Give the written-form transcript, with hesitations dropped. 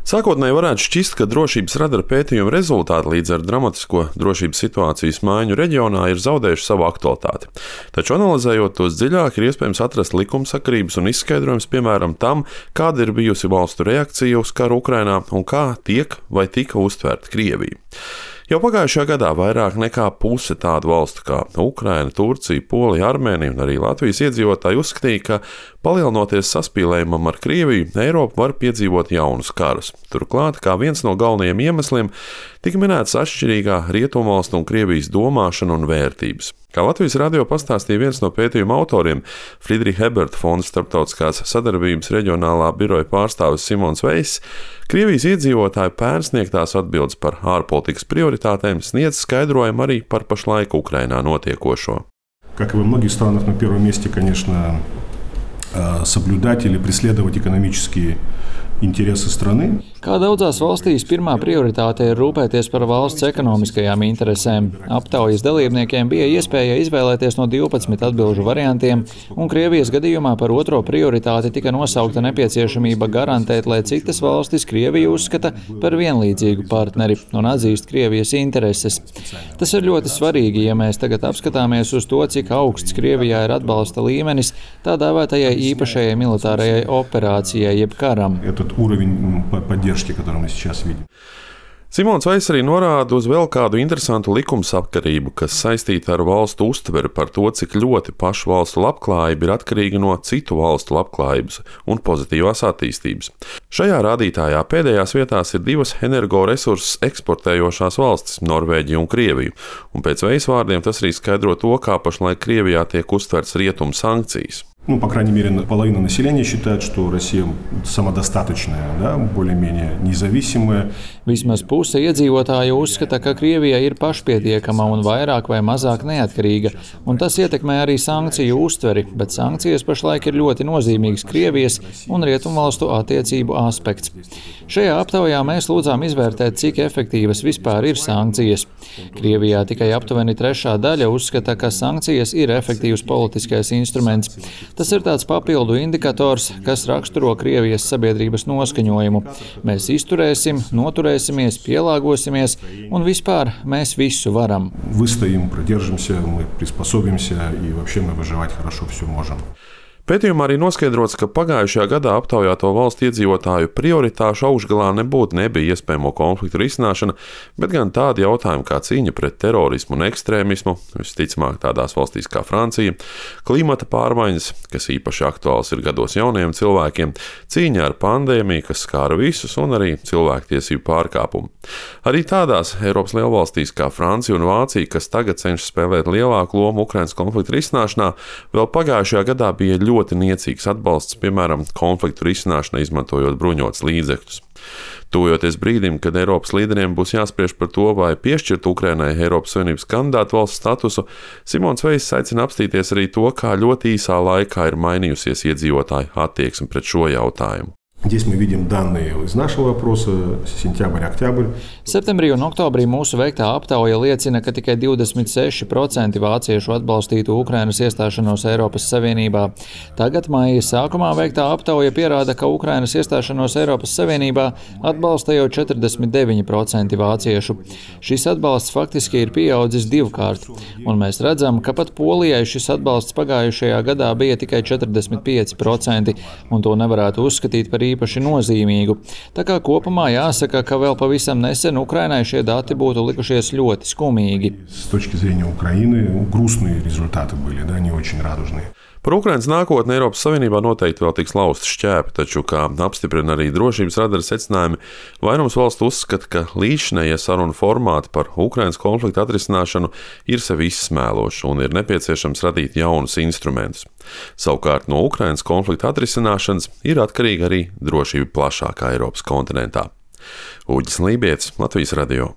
Sākotnēji varētu šķist, ka drošības radara pētījuma rezultāti līdz ar dramatisko drošības situācijas maiņu reģionā ir zaudējuši savu aktualitāti. Taču analizējot tos dziļāk, ir iespējams atrast likumsakarības un izskaidrojums, piemēram, tam, kāda ir bijusi valstu reakcija uz karu Ukrainā un kā tiek vai tika uztvērta Krievija. Jau pagājušajā gadā vairāk nekā puse tādu valstu kā Ukraina, Turcija, Polija, Armēnija un arī Latvijas iedzīvotāji uzskatīja, ka palielinoties saspīlējumam ar Krieviju, Eiropa var piedzīvot jaunus karus. Turklāt, kā viens no galvenajiem iemesliem, tika minēts atšķirīgā rietumvalstu un Krievijas domāšana un vērtības. Kā Latvijas radio pastāstīja viens no pētījuma autoriem, Friedricha Eberta fonda starptautiskās sadarbības reģionālā biroja pārstāvis Simons Veiss, Krievijas iedzīvotāju pērn sniegtās atbildes par ārpolitikas prioritātēm sniedz skaidrojumu arī par pašlaik Ukrainā notiekošo. Как и во многих странах, на первом месте, конечно, соблюдать или преследовать экономические интересы страны. Kā daudzās valstīs, pirmā prioritāte ir rūpēties par valsts ekonomiskajām interesēm. Aptaujas dalībniekiem bija iespēja izvēlēties no 12 atbilžu variantiem, un Krievijas gadījumā par otro prioritāti tika nosaukta nepieciešamība garantēt, lai citas valstis Krieviju uzskata par vienlīdzīgu partneri un atzīst Krievijas intereses. Tas ir ļoti svarīgi, ja mēs tagad apskatāmies uz to, cik augsts Krievijā ir atbalsta līmenis tā dēvētajai īpašajai militārajai operācijai jeb karam. Simons Veiss arī norāda uz vēl kādu interesantu likumsakarību, kas saistīta ar valstu uztveri par to, cik ļoti pašu valstu labklājība ir atkarīga no citu valstu labklājības un pozitīvās attīstības. Šajā rādītājā pēdējās vietās ir divas energoresursus eksportējošās valstis – Norvēģija un Krievija, un pēc Veissa vārdiem tas arī skaidro to, kā pašlaik Krievijā tiek uztverts rietumu sankcijas. По крайней мере, половина населения считает, что Россия самодостаточная, более-менее независимая. Vismaz puse iedzīvotāju uzskata, ka Krievija ir pašpietiekama un vairāk vai mazāk neatkarīga, un tas ietekmē arī sankciju uztveri, bet sankcijas pašlaik ir ļoti nozīmīgs Krievijas un rietumvalstu attiecību aspekts. Šajā aptaujā mēs lūdzām izvērtēt, cik efektīvas vispār ir sankcijas. Krievijā tikai aptuveni 1/3 uzskata, ka sankcijas ir efektīvs politiskais instruments. Tas ir tāds papildu indikators, kas raksturo Krievijas sabiedrības noskaņojumu. Mēs izturēsim, noturēsimies, pielāgosimies, un vispār mēs visu varam. Выстоим, продержимся, мы приспособимся, и вообще мы выживать хорошо все можем. Pētījumā arī noskaidrots, ka pagājušajā gadā aptaujāto valstu iedzīvotāju prioritāšu augšgalā nebija iespējamo konfliktu risināšana, bet gan tādi jautājumi kā cīņa pret terorismu un ekstrēmismu, visticamāk tādās valstīs kā Francija, klimata pārmaiņas, kas īpaši aktuāls ir gados jauniem cilvēkiem, cīņa ar pandēmiju, kas skāra visus, un arī cilvēktiesību pārkāpumu. Arī tādās Eiropas lielvalstīs kā Francija un Vācija, kas tagad cenšas spēlēt lielāku lomu Ukrainas konfliktu risināšanā, vēl pagājušajā gadā bija ļoti niecīgs atbalsts, piemēram, konfliktu risināšanai izmantojot bruņotus līdzekļus. Tuvojoties brīdim, kad Eiropas līderiem būs jāspriež par to, vai piešķirt Ukrainai Eiropas Savienības kandidātu valsts statusu, Simons Veiss aicina apstīties arī to, kā ļoti īsā laikā ir mainījusies iedzīvotāju attieksme pret šo jautājumu. Здесь мы видим данные из нашего опроса, сентябрь-октябрь. Septembrī un oktobrī mūsu veiktā aptauja liecina, ka tikai 26% vāciešu atbalstītu Ukrainas iestāšanos Eiropas Savienībā. Tagad maija sākumā veiktā aptauja pierāda, ka Ukrainas iestāšanos Eiropas Savienībā atbalsta jau 49% vāciešu. Šis atbalsts faktiski ir pieaudzis divkārt, un mēs redzam, ka pat Polijai šis atbalsts pagājušajā gadā bija tikai 45%, un to nevarētu uzskatīt par īpaši nozīmīgu. Tā kā kopumā jāsaka, ka vēl pavisam nesen Ukrainai šie dati būtu likušies ļoti skumīgi. С точки зрения Украины грустные результаты были, не очень радужные. Par Ukrainas nākotni Eiropas Savienībā noteikti vēl tiks lausti šķēpi, taču, kā apstiprina arī drošības radara secinājumi, vairums valstu uzskata, ka līdzinējie sarunu formāti par Ukrainas konfliktu atrisināšanu ir sevi izsmēloši un ir nepieciešams radīt jaunus instrumentus. Savukārt no Ukrainas konflikta atrisināšanas ir atkarīga arī drošība plašākā Eiropas kontinentā. Uģis Lībietis, Latvijas radio.